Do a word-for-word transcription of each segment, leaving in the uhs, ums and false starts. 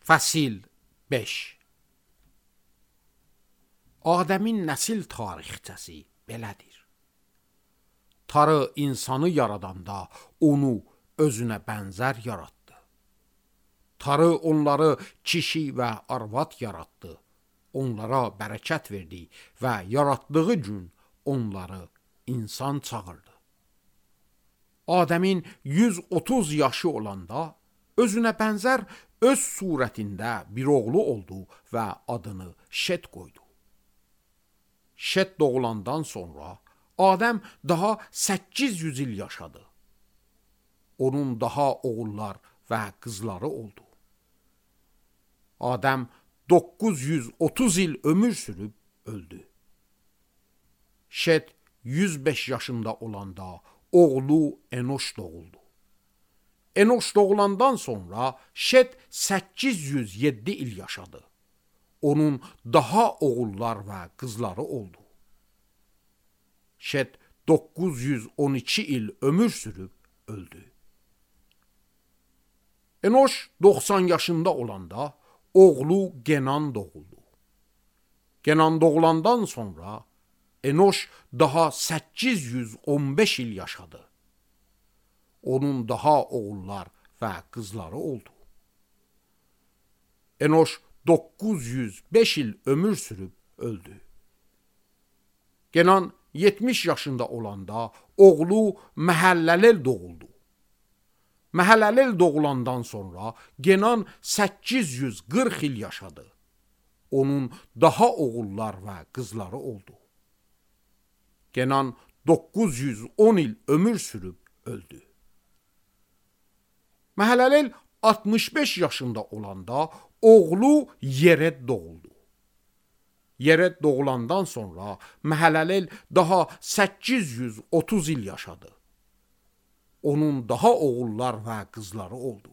Fəsil beş. Adəmin nəsil tarixçəsi belədir. Tanrı insanı yaradanda onu özünə bənzər yaratdı. Tanrı onları kişi və arvad yaratdı. Onlara bərəkət verdi və yaratdığı gün onları insan çağırdı. Adəmin yüz otuz yaşı olanda özünə bənzər öz surətində bir oğlu oldu və adını Şet qoydu. Şet doğulandan sonra Adəm daha səkkiz yüz il yaşadı. Onun daha oğullar və qızları oldu. Adəm doqquz yüz otuz il ömür sürüb öldü. Şet yüz beş yaşında olanda oğlu Enoş doğuldu. Enoş doğulandan sonra Şet səkkiz yüz yeddi il yaşadı. Onun daha oğullar və qızları oldu. Şet doqquz yüz on iki il ömür sürüb öldü. Enoş doxsan yaşında olanda oğlu Genan doğuldu. Genan doğulandan sonra Enoş daha səkkiz yüz on beş il yaşadı. Onun daha oğullar və qızları oldu. Enoş doqquz yüz beş il ömür sürüb öldü. Genan yetmiş yaşında olanda oğlu Məhəlləlel doğuldu. Məhəlləlel doğulandan sonra Genan səkkiz yüz qırx il yaşadı. Onun daha oğullar və qızları oldu. Genan doqquz yüz on il ömür sürüb öldü. Məhəlləlel altmış beş yaşında olanda oğlu Yered doğuldu. Yered doğulandan sonra Məhəlləlel daha səkkiz yüz otuz il yaşadı. Onun daha oğullar və qızları oldu.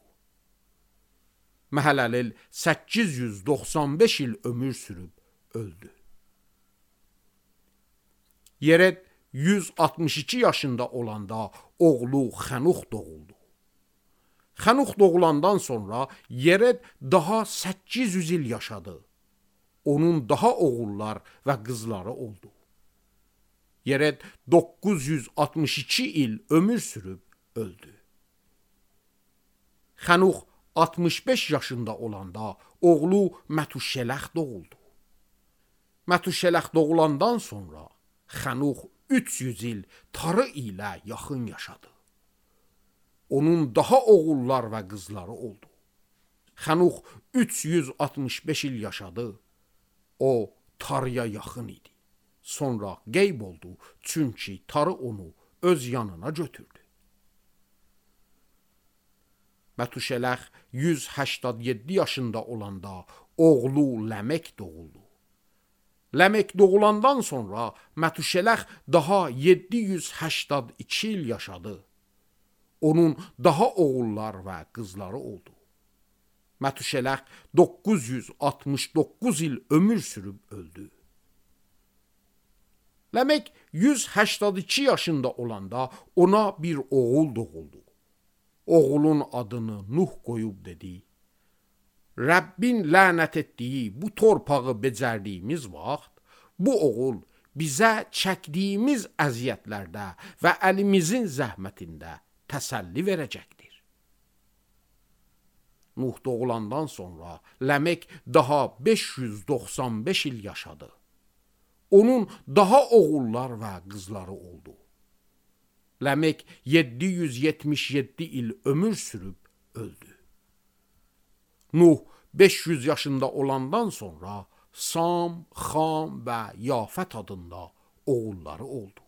Məhəlləlel səkkiz yüz doxsan beş il ömür sürüb öldü. Yered yüz altmış iki yaşında olanda oğlu Xənux doğuldu. Xənux doğulandan sonra Yered daha səkkiz yüz il yaşadı. Onun daha oğullar və qızları oldu. Yered doqquz yüz altmış iki il ömür sürüb öldü. Xənux altmış beş yaşında olanda oğlu Mətuşələx doğuldu. Mətuşələx doğulandan sonra Xənux üç yüz il Tanrı ilə yaxın yaşadı. Onun daha oğullar və qızları oldu. Xənux üç yüz altmış beş il yaşadı. O Tanrıya yaxın idi. Sonra qeyb oldu, çünki Tanrı onu öz yanına götürdü. Mətuşələx yüz səksən yeddi yaşında olanda oğlu Ləmək doğuldu. Ləmək doğulandan sonra Mətuşələx daha yeddi yüz səksən iki il yaşadı. Onun daha oğullar və qızları oldu. Mətuşələx doqquz yüz altmış doqquz il ömür sürüb öldü. Ləmək yüz səksən iki yaşında olanda ona bir oğul doğuldu. Oğulun adını Nuh qoyub dedi: Rəbbin lənət etdiyi bu torpağı becərdiyimiz vaxt, bu oğul bizə çəkdiyimiz əziyyətlərdə və əlimizin zəhmətində təsəlli verəcəkdir. Nuh doğulandan sonra Ləmək daha beş yüz doxsan beş il yaşadı. Onun daha oğullar və qızları oldu. Ləmək yeddi yüz yetmiş yeddi il ömür sürüb öldü. Nuh beş yüz yaşında olandan sonra Sam, Xam və Yafət adında oğulları oldu.